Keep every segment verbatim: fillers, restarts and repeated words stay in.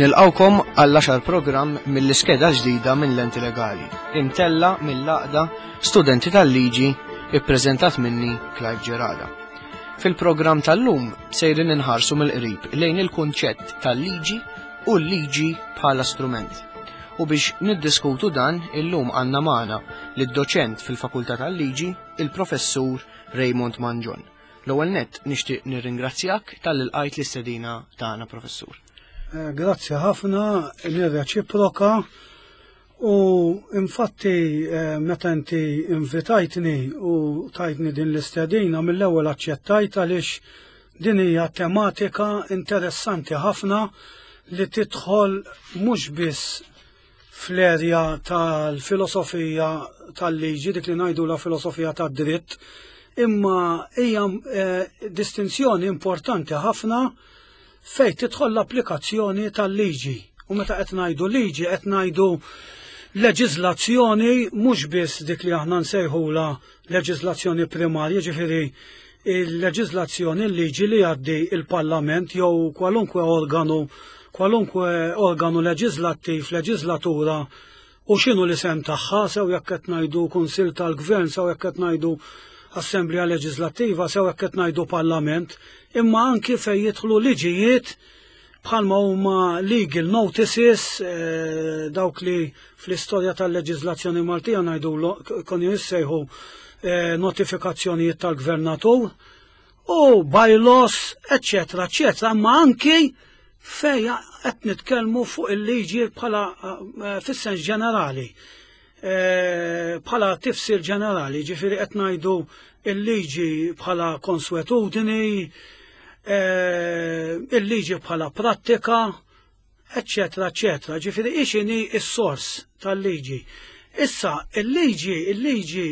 Nilqgħukom għall-għaxar programm mill-iskeda ġdida minn Lenti Legali, imtella mill-Għaqda Studenti tal-Liġi, ippreżentat minni, Clive Gerada. Fil-programm tal-lum sejrin inħarsu mill-qrib lejn il-kunċett tal-liġi u l-liġi bħala strument. U biex niddiskutu dan, illum għandna magħna lid-doċent fil-Fakultà tal-Liġi, il-Professur Raymond Mangion. L-ewwel nett nixtieq nirringrazzjak talli lqajt l-istedina tagħna, Professur. Eh, grazzi ħafna, nirreċiproka, u infatti eh, meta inti invitajtni u tajtni din l-istedina, mill-ewwel aċċettajt għaliex din hija tematika interessanti ħafna li tidħol mhux biss fl-erja tal-filosofija tal-liġi, dik li ngħidu la filosofija tad-dritt, imma hija eh, distinzjoni importanti ħafna fejn tidħol l-applikazzjoni tal-liġi. U meta qed ngħidu liġi, qed ngħidu leġiżlazzjoni, mhux biss dik li aħna nsejħula leġiżlazzjoni primarja, ġifieri il-leġiżlazzjoni, l-liġi li jgħaddi il-Parlament jew kwalunkwe organu kwalunkwe organu leġislattiv, leġislatura u x'inhu l-isem tagħha, sew jekk qed ngħidu Kunsill tal-Gvern, sew jekk qed ngħidu Assemblea Leġislattiva, sew jekk qed ngħidu Parlament, imma anki fejn jidħlu liġijiet bħalma huma legal notices, eh, dawk li fl-istorja tal-leġiżlazzjoni Maltija ngħidu kienu jissejħu eh, notifikazzjonijiet tal-gvernatur, u bylaws, eccetera, eccetera, imma anki fej qed nitkellmu fuq il-liġi bħala eh, fis-sens ġenerali. Eh, bħala tifsir ġenerali, ġifieri qed ngħidu il-liġi bħala konswetudini, eh, il-liġi bħala prattika, eccetera, eccetera. Ġifieri x'inhi s-sors tal-liġi. Issa, il-liġi, il-liġi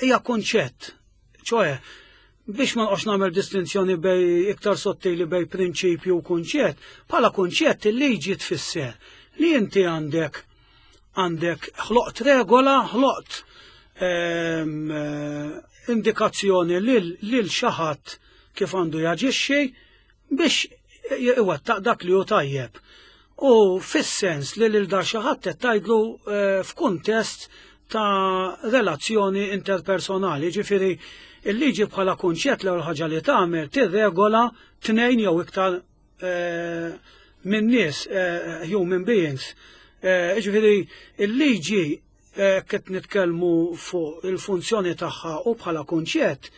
hija konċett, ċoè, biex ma nqgħodx nagħmel distinzjoni bej iktar sottili bej prinċipju u kunċett, bħala kunċett il-liġi tfisser li inti għandek għandek ħloqt regola, ħloqt ehm, eh, indikazzjoni lil xi ħadd kif għandu jaġixxi biex iwettaq dak li hu tajjeb. U fis-sens li lil dar xi ħadd qed tgħidlu eh, f'kuntest ta' relazzjoni interpersonali, ġifieri il-liġi bħala kunċett l ħaġa li tagħmel tirregola tnejn jew iktar eh, minn nies, human beings. Eh, ġifieri il-liġi, eh, qed nitkellmu fuq il-funzjoni tagħha u bħala kunċett,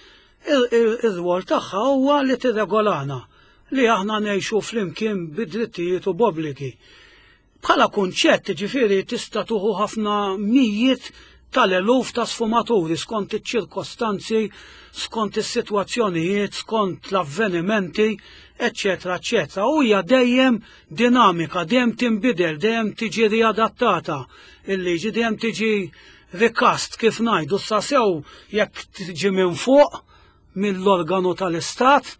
ir-rwol tagħha huwa li tirregolana li aħna ngħixu flimkien bid-drittijiet u b'obbligi. Bħala kunċett, ġifieri, tista' tieħu ħafna mijiet tal-eluf ta' sfumaturi skont iċ-ċirkostanzi, skont is-sitwazzjonijiet, skont l-avvenimenti, eccetera, eccetera. U hija dejjem dinamika, dejjem tinbidel, dejjem tiġi riadattata. Il-liġi dejjem tiġi recast, kif ngħidu, sa sew jekk tiġi minn fuq mill-organu tal-Istat,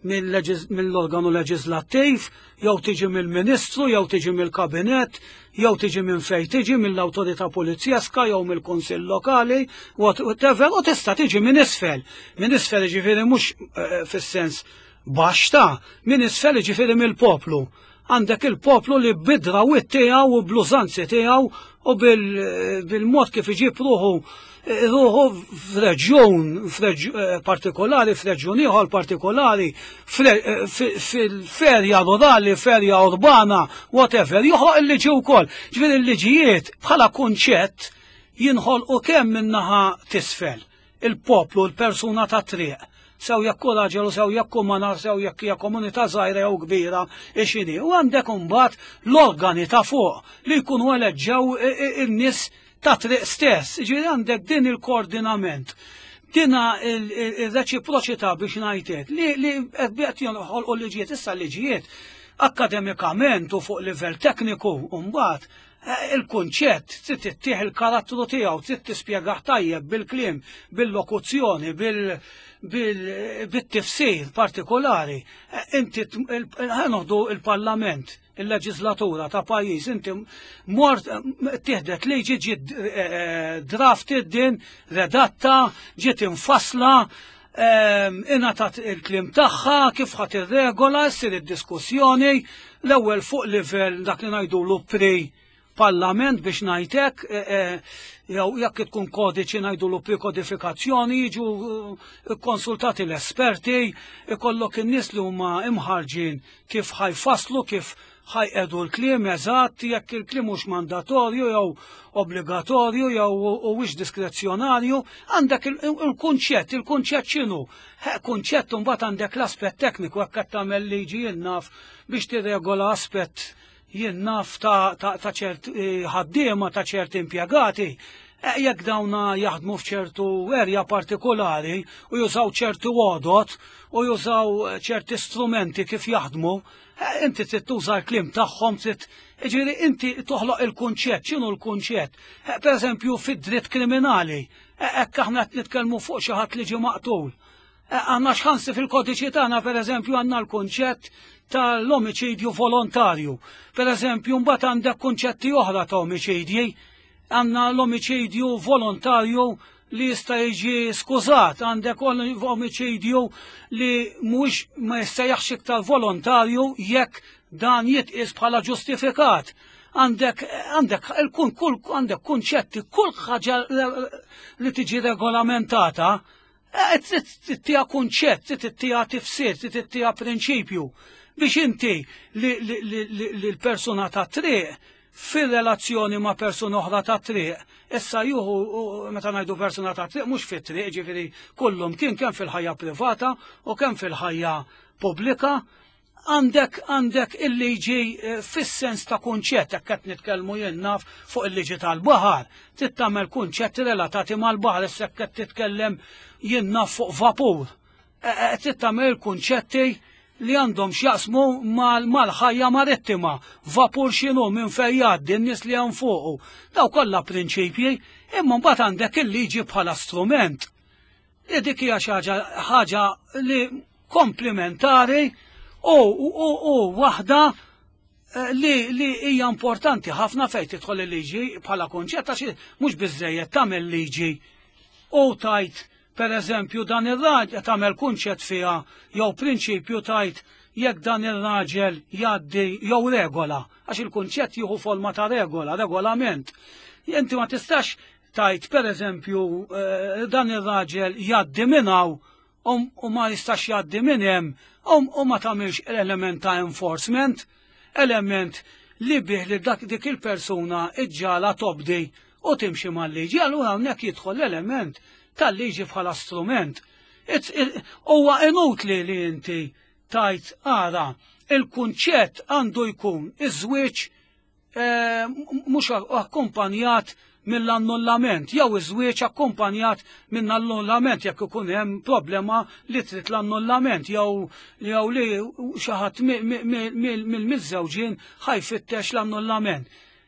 mill-organu leġislattiv, jew tiġi mill-ministru, jew tiġi mill-kabinet, jew tiġi minn fej tiġi, mill-awtorità polizjeska jew mill-kunsill lokali, whatever, u tista' tiġi minn isfel. Minn isfel ġifieri mhux eh, fis-sens baxx ta' minn isfel, ġifieri mill-poplu. Għandek il-poplu li bid-drawwiet tiegħu u bl-użanzi tiegħu u bil-mod kif iġib ruħu ruħu f'reġjun eh, partikolari, f'reġjun ieħor partikolari, eh, fil-ferja rurali, ferja urbana, whatever, joħloq il-liġi wkoll. Ġifieri il-liġijiet bħala kunċett jinħolqu kemm min-naħa t'isfel, il-poplu, il-persuna ta' triq, sew jekk hu raġel u sew jekk hu mara, sew jekk hija komunità żgħira jew kbira, x'inhi. U għandek imbagħad l-organi ta' fuq li jkunu eleġġew in-nies ta' triq stess. Ġifieri għandek din il-koordinament, dina il-reċiproċità, biex ngħidlek, li li qed joħolqu liġijiet. Issa liġijiet akademikament u fuq livell tekniku mbagħad eh, il-kunċett trid ittih il-karattru tiegħu, trid tispjegah tajjeb bil-kliem, bil-lokuzzjoni, bil-tifsir partikolari. Eh, inti ħa noħdu il-Parlament, il-leġislatura ta' pajjiż, inti mort tieħdet liġi, ġiet eh, drafted din, redatta, ġiet infasla, Ingħatat il-kliem tagħha, kif ħa tirregola, ssir id-diskussjoni, l-ewwel fuq livell dak li ngħidulu pre-parlament biex ngħidlek, jew jekk tkun kodiċi ngħidulu pre-kodifikazzjoni, jiġu konsultati l-esperti, ikollok in-nies li huma imħarġin kif ħa jfasslu, kif ħa jqiegħdu l-kliem eżatt, jekk il-kliem mhux mandatorju jew obbligatorju jew huwiex diskrezzjonarju, għandek il-kunċett, il-kunċett x'inhu? Kunċett mbagħad għandek l-aspett tekniku jekk qed tagħmel liġi jien naf biex tirregola aspett jien naf ta' ċert ħaddiema ta' ċert impjegati. Jekk dawna jaħdmu f'ċertu erja partikolari u jużaw ċertu għodot u jużaw ċerti strumenti kif jaħdmu, inti trid tuża l-kliem tagħhom, trid jiġifieri inti toħloq il-kunċett, x'inhu l-kunċett? Per eżempju fid-dritt kriminali, hekk aħna qed nitkellmu fuq xi ħadd li ġie maqtul. Għandna x'ħansi fil-kodiċi tagħna pereżempju għandna l-kunċett tal-omiċidju volontarju. Per eżempju mbagħad għandek kunċetti oħra ta' omiċidji, għandna l-omiċidju volontarju li jista' jiġi skużat, għandek omiċidju li mhux ma jissejjaħx iktar volontarju jekk dan jitqies bħala ġustifikat. Għandek għandek il-kun kull għandek kunċetti, kull ħaġa li tiġi regolamentata, trid ttiha kunċett, trid ttiha tifsir, trid ttiha prinċipju biex inti li l-persuna ta' triq fil-relazzjoni ma' persuna oħra ta' triq, issa juhu, meta ngħidu persuna ta' triq, mhux fit-triq, ġifieri kullum kien kemm fil-ħajja privata u kemm fil-ħajja pubblika, għandek għandek il-liġi fis-sens ta' kunċett, jekk qed nitkellmu jien naf fuq il-liġi tal-baħar, trid tagħmel kunċetti relatati mal-baħar, issa jekk qed titkellem jien naf fuq vapur, trid tagħmel kunċetti li għandhom x'jaqsmu mal-ħajja marittima, vapur x'inhu minn fejn jgħaddi, n-nies li hemm fuqu. Daw kollha prinċipji, imma mbagħad għandek il-liġi bħala strument. Li dik hija xi ħaġa li komplementari u u waħda li li hija importanti ħafna fejn tidħol il-liġi bħala kunċett, għax mhux biżejjed tagħmel liġi u tajt per eżempju dan ir-raġel tagħmel kunċett fiha jew prinċipju tajt jekk dan ir-raġel jgħaddi jew regola, għax il-kunċett jieħu forma ta' regola, regolament. Inti ma tistax tajt per eżempju dan ir-raġel jgħaddi minn hawn u ma jistax jgħaddi minn hemm u ma tagħmilx element ta' enforcement, element li bih li dak dik il-persuna iġġala tobdi u timxi mal-liġi. Allura hawnhekk jidħol l-element tal-liġi bħala strument. Huwa inutli li inti tajt ara il-kunċett għandu jkun iż-żwieġ mhux akkumpanjat mill-annullament, jew iż-żwieġ akkumpanjat minn annullament jekk ikun hemm problema li trid l-annullament jew jew li xi ħadd mill-miżżewġin ħajfittex l-annullament.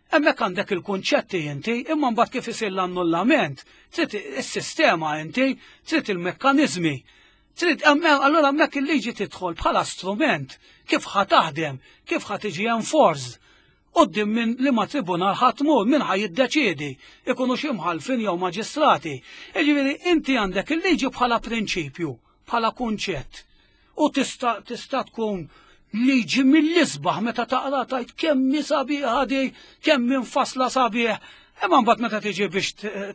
Hemmhekk għandek il-kunċetti inti, imma mbagħad kif isir l-annullament, trid is-sistema inti, trid il-mekkaniżmi. Trid allura hemmhekk il-liġi tidħol bħala strument kif ħa taħdem, kif ħa tiġi enforced. Quddiem minn liema tribunal ħa tmur, min ħa jiddeċiedi, ikunu xi mħallfin jew maġistrati. Jiġifieri inti għandek il-liġi bħala prinċipju, bħala kunċett. U tista' tista' tkun liġi mill-isbaħ meta taqra tajt kemm hi sabiħa di, kemm infasla sabiħ. Imma mbagħad meta tiġi biex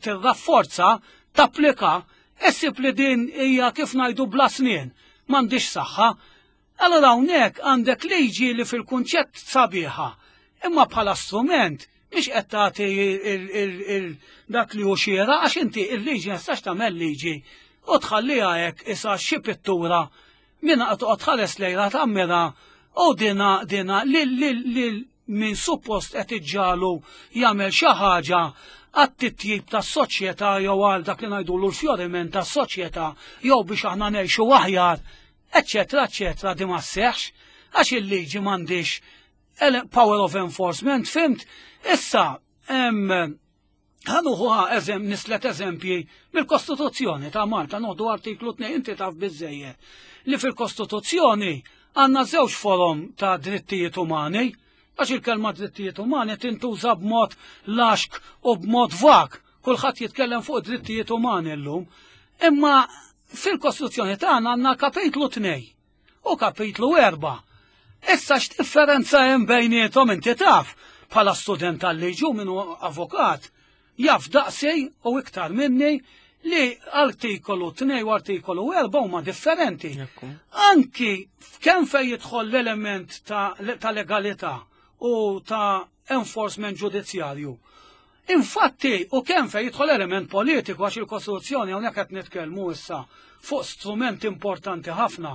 tirrafforza, tapplika, issib li din hija kif ngħidu bla snien, m'għandix saħħa. Allura hawnhekk għandek liġi li fil-kunċett sabiħa, imma bħala strument mhix qed tagħti dak li hu xieraq, għax inti il-liġi ma tistax tagħmel liġi u tħalliha hekk issa xi pittura minna qed toqgħod tħares lejha tammira u dina dina lil lil min suppost qed iġġalu jagħmel xi ħaġa għat-titjib tas-soċjetà jew għal dak li ngħidulu l-fjoriment tas-soċjetà jew biex aħna ngħixu aħjar, eċċetera, eċċetera, di ma sseħħx għax il-liġi m'għandix power of enforcement, fimt? Issa, ħanuħuha eżem, nislet eżempji mill-Kostituzzjoni ta' Malta, noħdu artiklu tnejn, inti taf biżejjed li fil-Kostituzzjoni għandna żewġ forom ta' drittijiet umani, għax il-kelma drittijiet umani tintuża b'mod laxk u b'mod vag, kulħadd jitkellem fuq drittijiet umani llum, imma Fil-Kostituzzjoni tagħna għandna kapitlu tnejn u kapitlu erba'. Issa x'differenza hemm bejniethom inti taf bħala student tal-liġi u minnu avukat jaf daqsi u iktar minni li artikolu tnejn u artikolu erba' huma differenti. Anki kemm fejn jidħol l-element ta', ta legalità u ta' enforcement ġudizzjarju. Infatti, u kemm fejn jidħol element politiku, għax il-Kostituzzjoni, hawnhekk qed nitkellmu issa fuq strument importanti ħafna.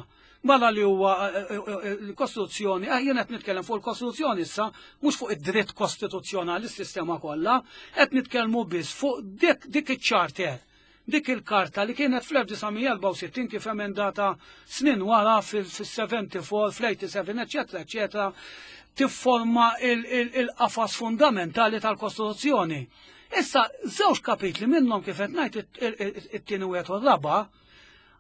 Mela li huwa eh, eh, eh, l-Kostituzzjoni, jien qed nitkellem fuq il-Kostituzzjoni issa, mhux fuq id-dritt kostituzzjonali, s-sistema kollha, qed nitkellmu biss fuq dik dik iċ-charter, dik il-karta li kienet fl-elf disa' mija erbgħa u sittin kif emendata snin wara fil-sebgħa u sebgħin, fl-sebgħa u tmenin, eccetera, eccetera, tifforma il-qafas fundamentali tal-Kostituzzjoni. Issa, żewġ kapitli minnhom, kif qed ngħid, it-tieni wieħed u r-raba',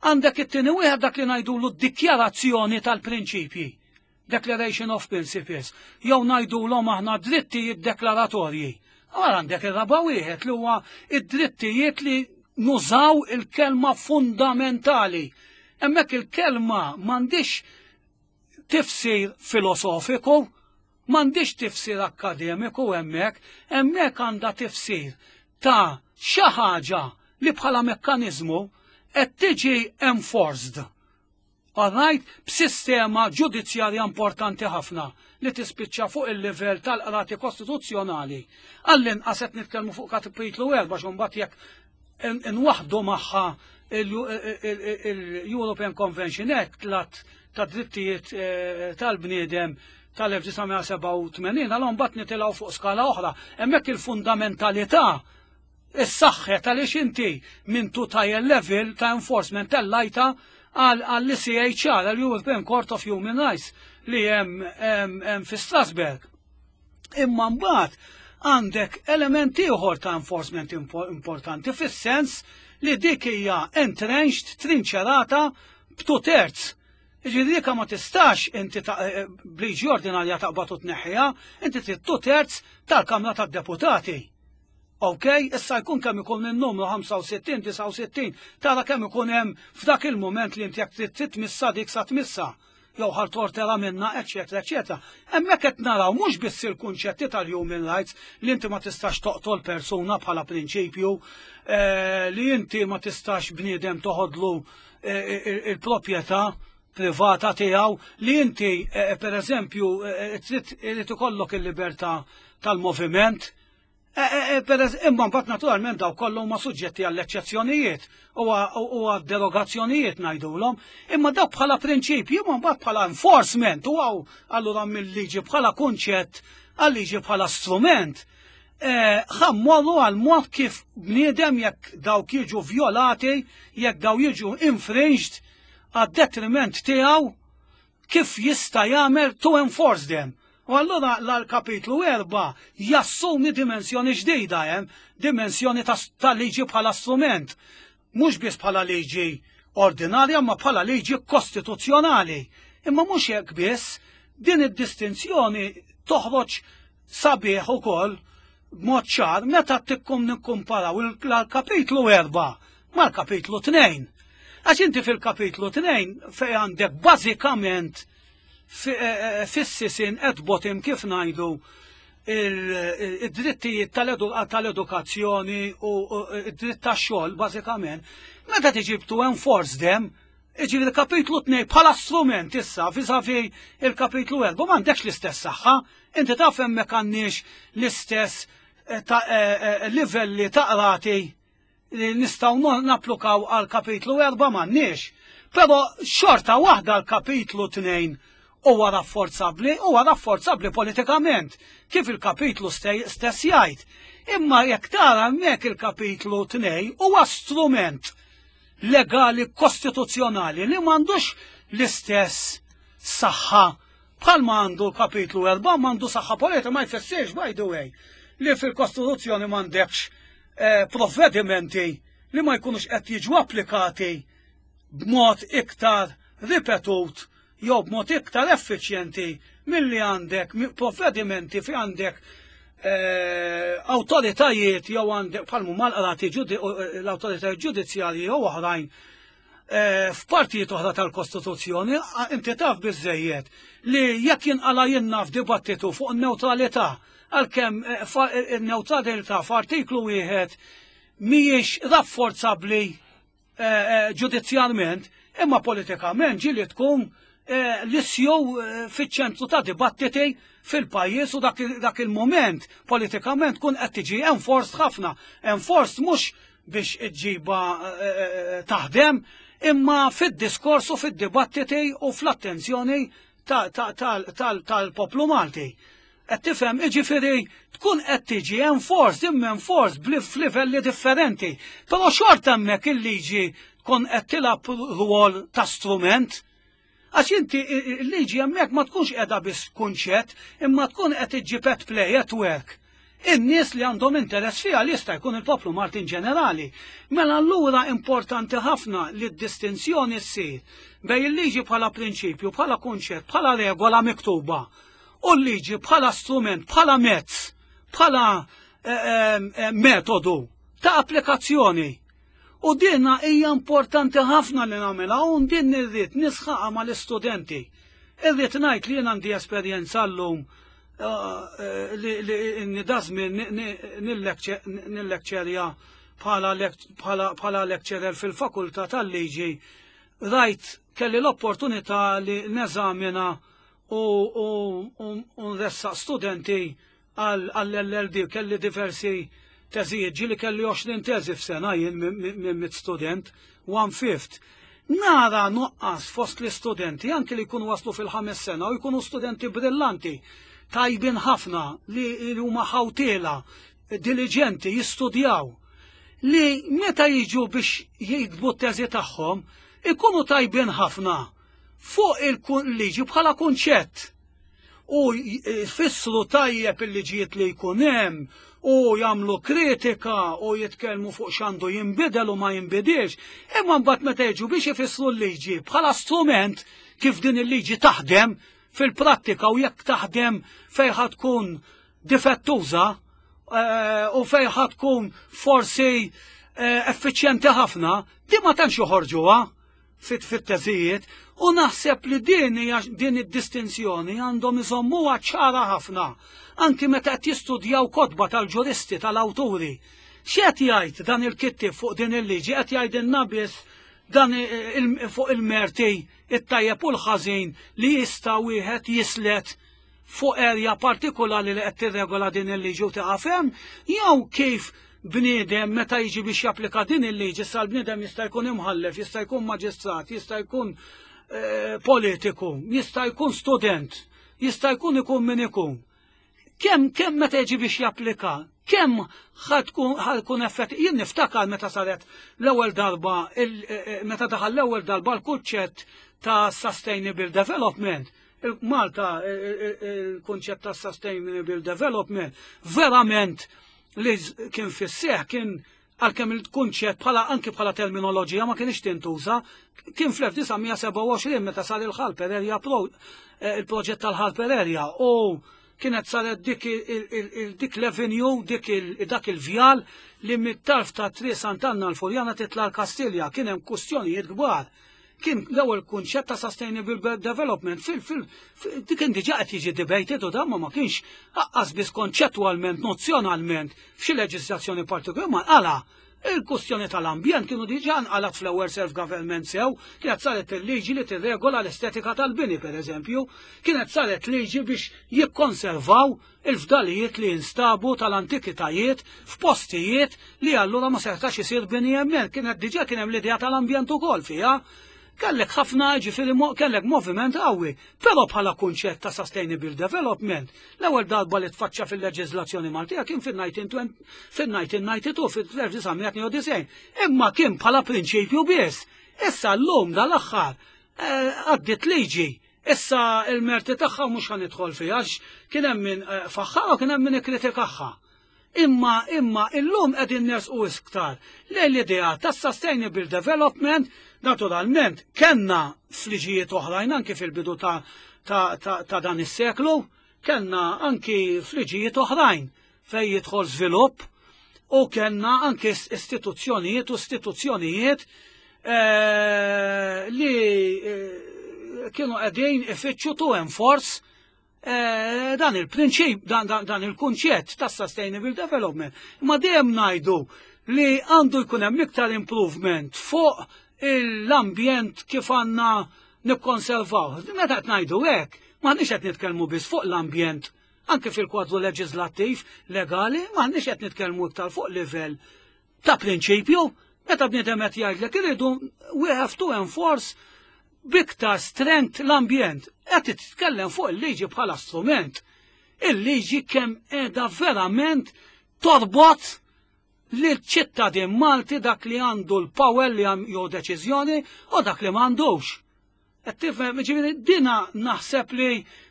għandek it-tieni wieħed, dak li ngħidulu d-dikjarazzjoni tal-prinċipji, Declaration of Principles, jew ngħidulhom aħna drittijiet deklaratorji. Għar għandek ir-raba' wieħed li huwa id-drittijiet li nużaw il-kelma fundamentali. Hemmhekk il-kelma m'għandix tifsir filosofiku, m'għandix tifsir akademiku hemmhekk, hemmhekk għandha tifsir ta' xi ħaġa li bħala mekkaniżmu qed tiġi enforced. Alright, b'sistema ġudizzjarja importanti ħafna li tispiċċa fuq il-livell tal-qrati kostituzzjonali. Għall-inqas qed nitkellmu fuq kapitlu erba', x'mbagħad jekk inwaħdu magħha il-European Convention Act, l-att ta' drittijiet eh, tal-bniedem tal-elf disa' mija sebgħa u tmenin, għal mbagħad nitilgħu fuq skala oħra. Hemmhekk il-fundamentalità is-saħħet għaliex inti minn two tier level ta' enforcement tellajta għall-E C H R, għall-European Court of Human Rights li hemm fi Strasbourg. Imma mbagħad għandek elementi ieħor ta' enforcement importanti fis-sens li dik hija entrenched, trinċerata b'two terds. Ġifieri dik ma tistax inti eh, bliġi ordinarja taqbad u tneħħiha, inti trid two terds tal-Kamra tad-Deputati. Ok, issa jkun kemm ikun il-numru ħamsa u sittin, disgħa u sittin, tara kemm ikun hemm f'dak il-moment li inti jekk trid titmissa dik sa tmissa jew ħal tortera minna, eċetera, eċetera. Hemmhekk qed naraw mhux biss il-kunċetti tal-human rights, li inti ma tistax toqtol persuna bħala prinċipju, eh, li inti ma tistax bniedem toħodlu eh, il-proprjetà privata tiegħu, li inti eh, per eżempju trid irid ikollok il-libertà tal-moviment. Imma mbagħad naturalment daw kollu huma suġġetti għall eċċezzjonijiet u għad derogazzjonijiet ngħidulhom, imma dawk bħala prinċipji, imma mbagħad bħala enforcement u għaw allura mill-liġi bħala kunċett għal-liġi bħala strument. Ħa mmorru għal mod kif bniedem jekk dawk jiġu violati, jekk daw jiġu infringed għad detriment tiegħu, kif jista' jagħmel to enforce them. U allura l-kapitlu erba' jassumi dimensjoni ġdida hemm, dimensjoni ta' liġi bħala strument. Mhux biss bħala liġi ordinarja, ma bħala liġi kostituzzjonali. Imma mhux hekk biss, din id-distinzjoni toħroġ sabiħ ukoll b'mod ċar meta tikkum nikkumparaw il-kapitlu erba' mal-kapitlu tnejn. Għax inti fil-kapitlu tnejn fej għandek bażikament eh, eh, fis-sisin at bottom, kif ngħidu, id-drittijiet tal-edukazzjoni u id-dritt tax-xogħol bażikament, meta tiġi to enforce them, iġi il-kapitlu tnejn bħala strument issa vis-a-vis il-kapitlu erba' m'għandekx l-istess saħħa, inti taf hemmhekk għandniex l-istess eh, livelli ta' qrati li nistgħu napplikaw għal kapitlu erba', m'għandniex. Però xorta waħda l-kapitlu tnejn huwa rafforzabbli, huwa rafforzabbli politikament, kif il-kapitlu stess jgħid. Imma jekk tara hemmhekk il-kapitlu tnejn huwa strument legali kostituzzjonali li m'għandux l-istess saħħa bħalma għandu l-kapitlu erba', m'għandu saħħa politika. Ma jfissirx, by the way, li fil-Kostituzzjoni m'għandekx eh, provvedimenti li ma jkunux qed jiġu applikati b'mod iktar ripetut jew b'mod iktar effiċjenti milli għandek provvedimenti fi għandek eh, awtoritajiet jew għandek palmu mal-qrati, l-awtoritajiet ġudizzjarji jew oħrajn. F'partijiet oħra tal-Kostituzzjoni, inti taf biżejjed li jekk jinqala jinna f'dibattitu fuq in-newtralità, għalkemm in-newtralità f'artiklu wieħed mhijiex rafforzabbli ġudizzjalment, imma politikament ġieli tkun l-issue fiċ-ċentru ta' dibattiti fil-pajjiż u dak il-moment politikament tkun qed tiġi enforced ħafna. Enforced mhux biex iġġiba taħdem, imma fid-diskors u fid-dibattiti u fl-attenzjoni tal-poplu Malti. Qed tifhem, jiġifieri tkun qed tiġi enforced, imma enforced f'livelli differenti. Però xorta hemmhekk il-liġi tkun qed tilgħab rwol ta' strument. Għax inti il-liġi hemmhekk ma tkunx qiegħda biss kunċett, imma tkun qed iġġib at play, at work. In-nies li għandhom interess fiha li jista' jkun il-poplu Malti in ġenerali. Mela allura importanti ħafna li d-distinzjoni ssir bejn il-liġi bħala prinċipju, bħala kunċett, bħala regola miktuba u l-liġi bħala strument, bħala mezz, bħala metodu ta' applikazzjoni. U dinna hija importanti ħafna li nagħmilha u din irrid nisħaqha mal-istudenti. Irrid ngħid li jien għandi esperjenza llum li dażmin nil-lekċerja bħala lecturer fil-fakultà tal-liġi, rajt kelli l-opportunità li neżamina u nressaq studenti għall-L L B, kelli diversi teżijiet, ġieli kelli għoxrin teżi f'sena jien minn mit student, one fifth. Nara nuqqas fost l-istudenti, anki li jkunu waslu fil-ħames sena u jkunu studenti brillanti, tajbin ħafna, li huma ħawtiela, diligenti, jistudjaw, li meta jiġu biex jiktbu t-teżi tagħhom, ikunu tajbin ħafna fuq il-liġi bħala kunċett. U jfissru tajjeb il-liġijiet li jkun hemm u jagħmlu kritika u jitkellmu fuq x'għandu jinbidel u ma jinbidilx, imma mbagħad meta jiġu biex ifissru l-liġi bħala strument kif din il-liġi taħdem fil-prattika u jekk taħdem fejn ħa tkun difettuża u fejn ħa tkun forsi effiċjenti ħafna, di ma tantx joħorġuha fit-teżijiet, u naħseb li din hija din id-distinzjoni għandhom iżommuha ċara ħafna anki meta qed jistudjaw kotba tal-ġuristi tal-awturi. X'qed jgħid dan il-kittieb fuq din il-liġi? Qed jgħidilna biss dan fuq il-merti it-tajjeb u l-ħażin li jista' wieħed jislet fuq erja partikolari li qed tirregola din il-liġi u tieqaf hemm, jew kif bniedem meta jiġi biex japplika din il-liġi, sa l-bniedem jista' jkun imħallef, jista' jkun maġistrat, jista' jkun politiku, jista' jkun student, jista' jkun ikun min ikun. Kemm kemm meta jiġi biex japplika, kemm ħa tkun effett. Jien niftakar meta saret l-ewwel darba, meta daħal l-ewwel darba l-kunċett ta' Sustainable Development. Malta, il-kunċett ta' Sustainable Development verament li kien fis-seħ kien, għalkemm il-kunċett bħala anki bħala terminoloġija ma kienx tintuża, kien fl-elf disa' mija sebgħa u għoxrin meta sar il-Harper Area, il-proġett tal-Harper Area, u kienet saret dik dik l-avenue, dik dak il-vjal li mit-tarf ta' Triq Sant'Anna l-Furjana titla l-Kastilja, kien hemm kustjonijiet kbar. Kien l-ewwel kunċett ta' Sustainable Development fil fil dik kien diġà qed jiġi debated u dan ma kienx aqqas biss konċettwalment, nozzjonalment f'xi leġiżlazzjoni partikolari, ma għala il-kustjoni tal-ambjent kienu diġà nqalat fl-ewwel self-government sew, kienet saret il-liġi li tirregola l-estetika tal-bini, per eżempju, kienet saret liġi biex jikkonservaw il-fdalijiet li jinstabu tal-antikitajiet f'postijiet li allura ma setax isir bini hemmhekk, kienet diġà kien hemm l-idea tal-ambjent ukoll fiha. Kellek ħafna, ġifieri kellek moviment qawwi, però bħala kunċett ta' Sustainable Development, l-ewwel darba li tfaċċa fil-leġiżlazzjoni Maltija kien fil-elf disa' mija tnejn u disgħin, fil-elf disa' mija tnejn u disgħin, imma kien bħala prinċipju biss. Issa llum dal-aħħar għaddit liġi. Issa il-merti tagħha mhux ħa nidħol fiha, kien hemm min faħħarha u kien hemm min ikkritikaha. Imma imma illum qegħdin nersqu iktar lejn l-idea ta' Sustainable Development. Naturalment kellna fliġijiet oħrajn anki fil-bidu ta', ta, ta, ta dan is-seklu, kellna anki fliġijiet oħrajn fejn jidħol żvilupp u kellna anki istituzzjonijiet u istituzzjonijiet eh, li eh, kienu qegħdin ifittxu to enforce eh, dan il-prinċip, dan, dan, dan il-kunċett ta' sustainable development. Ma dejjem ngħidu li għandu jkun hemm iktar improvement fuq l-ambjent kif għandna nikkonservaw. Meta qed ngħidu hekk, m'aħniex qed nitkellmu biss fuq l-ambjent anke fil-kwadru leġislattiv legali, m'aħniex qed nitkellmu iktar fuq livell ta' prinċipju. Meta bniedem qed jgħidlek iridu we have to enforce b'iktar strength l-ambjent, qed titkellem fuq il-liġi bħala strument. Il-liġi kemm qiegħda verament torbot li ċittadin Malti, dak li għandu l-power li jew deċiżjoni u dak li m'għandux. Qed tifhem, ġifieri dina naħseb li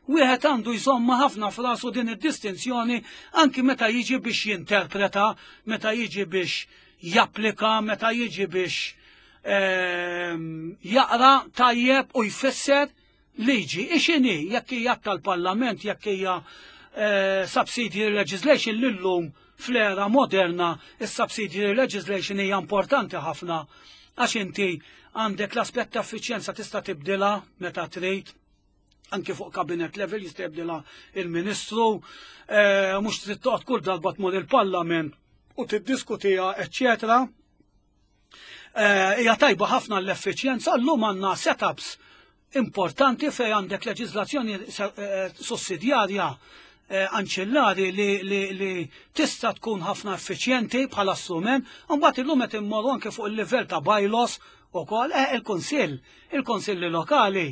wieħed għandu jżomma ħafna f'rasu din id-distinzjoni anki meta jiġi biex jinterpreta, meta jiġi biex japplika, meta jiġi biex ehm, jaqra tajjeb u jfisser liġi. Ixini, jekk hija tal-Parlament, jekk hija eh, subsidiary legislation, l-lum fl-era moderna is-subsidiary legislation hija importanti ħafna għax inti għandek l-aspett ta' effiċjenza, tista' tibdilha meta trid, anke fuq cabinet level jista' jibdilha il-Ministru, eh, mhux trid toqgħod kull darba tmur il-Parlament u tiddiskutiha, eċċetera. Eh, hija tajba ħafna l-effiċjenza. Llum għandna setups importanti fej għandek leġiżlazzjoni eh, sussidjarja anċillari li, li, li tista' tkun ħafna effiċjenti bħala strument, u mbagħad illum qed immorru anke fuq il-livell ta' bylaws ukoll, il-kunsill, il-kunsilli lokali.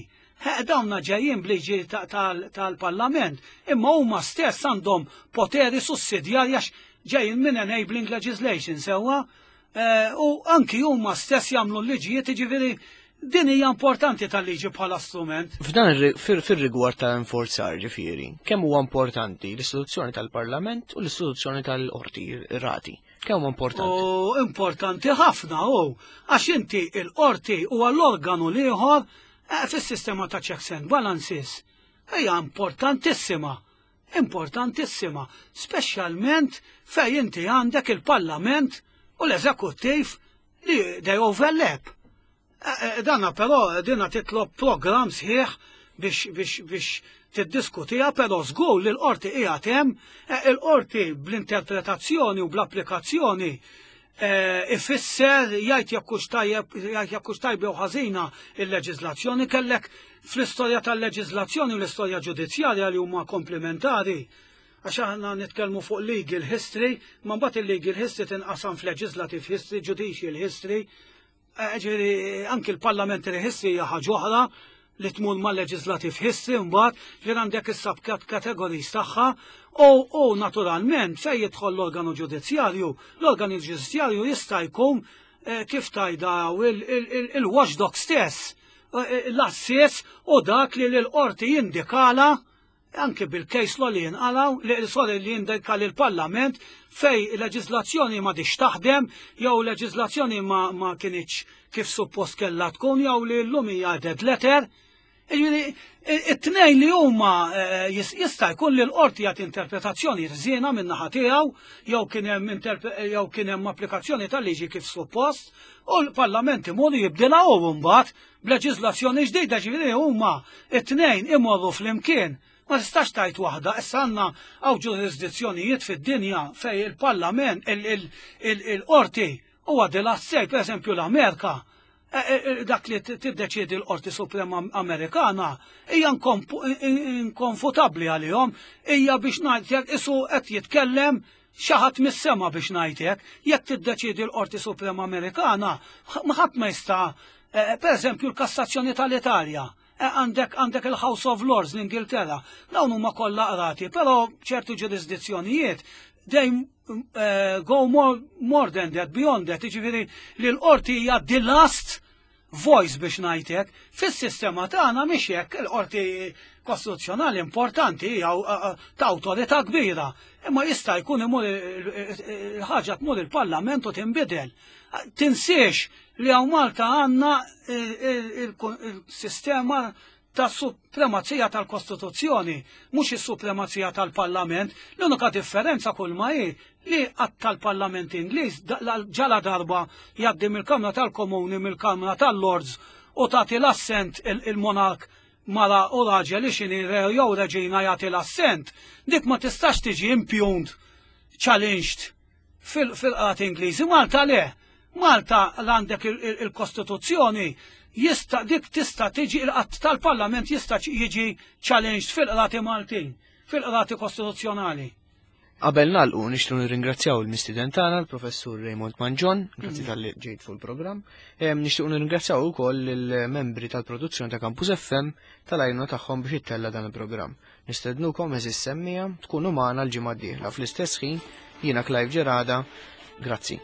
Dawna ġejjin bliġi tal-Parlament, imma huma stess għandhom poteri sussidjarji għax ġejjin minn enabling legislation, sewwa, u anki huma stess jagħmlu l-liġijiet, ġifieri din hija importanti tal-liġi bħala strument. F'dan fir-rigward tal-enforzar, ġifieri, kemm huwa importanti l-istituzzjoni tal-Parlament u l-istituzzjoni tal-qorti, rati? Kemm huwa importanti? U importanti ħafna u għax inti il-qorti huwa l-organu l-ieħor eh, fis-sistema ta' checks and balances. Hija importantissima. Importantissima, speċjalment fej inti għandek il-Parlament u l-eżekuttiv li they overlap. Eh, eh, dana però dina titlob program sħiħ biex biex biex tiddiskutija, però żgur li l-qorti qiegħed hemm, eh, il-qorti bl-interpretazzjoni u bl-applikazzjoni ifisser jgħid jekk hux tajjeb, jgħid jekk hux tajba jew ħażina il-leġiżlazzjoni. Kellek fl-istorja tal-leġiżlazzjoni u l-istorja ġudizzjarja li huma komplementari, għax aħna nitkellmu fuq legal history, ma mbagħad il-legal history tinqasam f'legislative history, judicial history, ġifieri anki l-parliamentary history hija ħaġa oħra li tmur ma' legislative history mbagħad, ġifieri għandek is-subcategories tagħha u, u naturalment fejn jidħol l-organu ġudizzjarju, l-organu ġudizzjarju jista' jkun eh, kif tajda il-watchdog stess, eh, l-assess u dak li l-qorti jindikala anke bil-case law li jinqalaw, li sorry, li jindika l-Parlament fej leġislazzjoni ma diċ taħdem, jew leġislazzjoni ma, ma kinitx kif suppost kellha tkun, jew li llum hija dead letter. Jiġifieri, it-tnejn li huma eh, jista' jkun li l-qorti jagħti interpretazzjoni ħżiena minn naħa tiegħu jew kien hemm jew kien hemm applikazzjoni tal-liġi kif suppost u l-Parlament imur jibdilha u mbagħad b'leġiżlazzjoni ġdida, ġifieri huma it-tnejn imorru flimkien. Ma tistax tajt waħda, issa għandna hawn ġurisdizzjonijiet fid-dinja fej il-Parlament, il-qorti huwa the last say, per eżempju l-Amerika, e, e, e, dak li tiddeċiedi l-Qorti Suprema Amerikana hija inkonfutabbli għalihom, hija biex ngħidlek isu qed jitkellem xi ħadd mis-sema biex ngħidlek, jekk tiddeċiedi l-Qorti Suprema Amerikana, ma ħadd ma jista', per eżempju l-Kassazzjoni tal-Italja, għandek għandek il-House of Lords l-Ingilterra, dawn huma kollha qrati, però ċertu ġurisdizzjonijiet they uh, go more, more than that, beyond that, jiġifieri li l-qorti hija the last voice biex ngħidlek. Fis-sistema tagħna mhix hekk, il-qorti kostituzzjonali importanti hija ta' awtorità kbira, imma jista' jkun imur il-ħaġa tmur il-Parlament u tinbidel. Tinsiex li hawn Malta għandna il-sistema ta' supremazija tal-Kostituzzjoni, mhux is-supremazija tal-Parlament. L-unika differenza kull ma hi li att tal-Parlament Ingliż ġala darba jgħaddi mill-Kamra tal-Komuni, mill-Kamra tal-Lords u tagħti l-assent il-monark mara u raġel li xini re jew reġina jagħti l-assent, dik ma tistax tiġi impugned, challenged fil-qrati Ingliżi. Malta le, Malta l-għandek il-Kostituzzjoni jista' dik tista' tiġi il-qatt tal-Parlament jista' jiġi challenged fil-qrati Maltin, fil-qrati kostituzzjonali. Qabel nagħlqu nixtru nirringrazzjaw il-mistieden tagħna l-Professur Raymond Mangion, grazzi talli ġejt fuq il-programm. Nixtiequ nirringrazzjaw ukoll il-membri tal-produzzjoni ta' Campus F M tal-għajnuna tagħhom biex ittella dan il-programm. Nistednukom, għeżież semmiegħa, tkunu magħna l-ġimgħa d-dieħla fl-istess ħin. Jiena Clive Gerada, grazzi.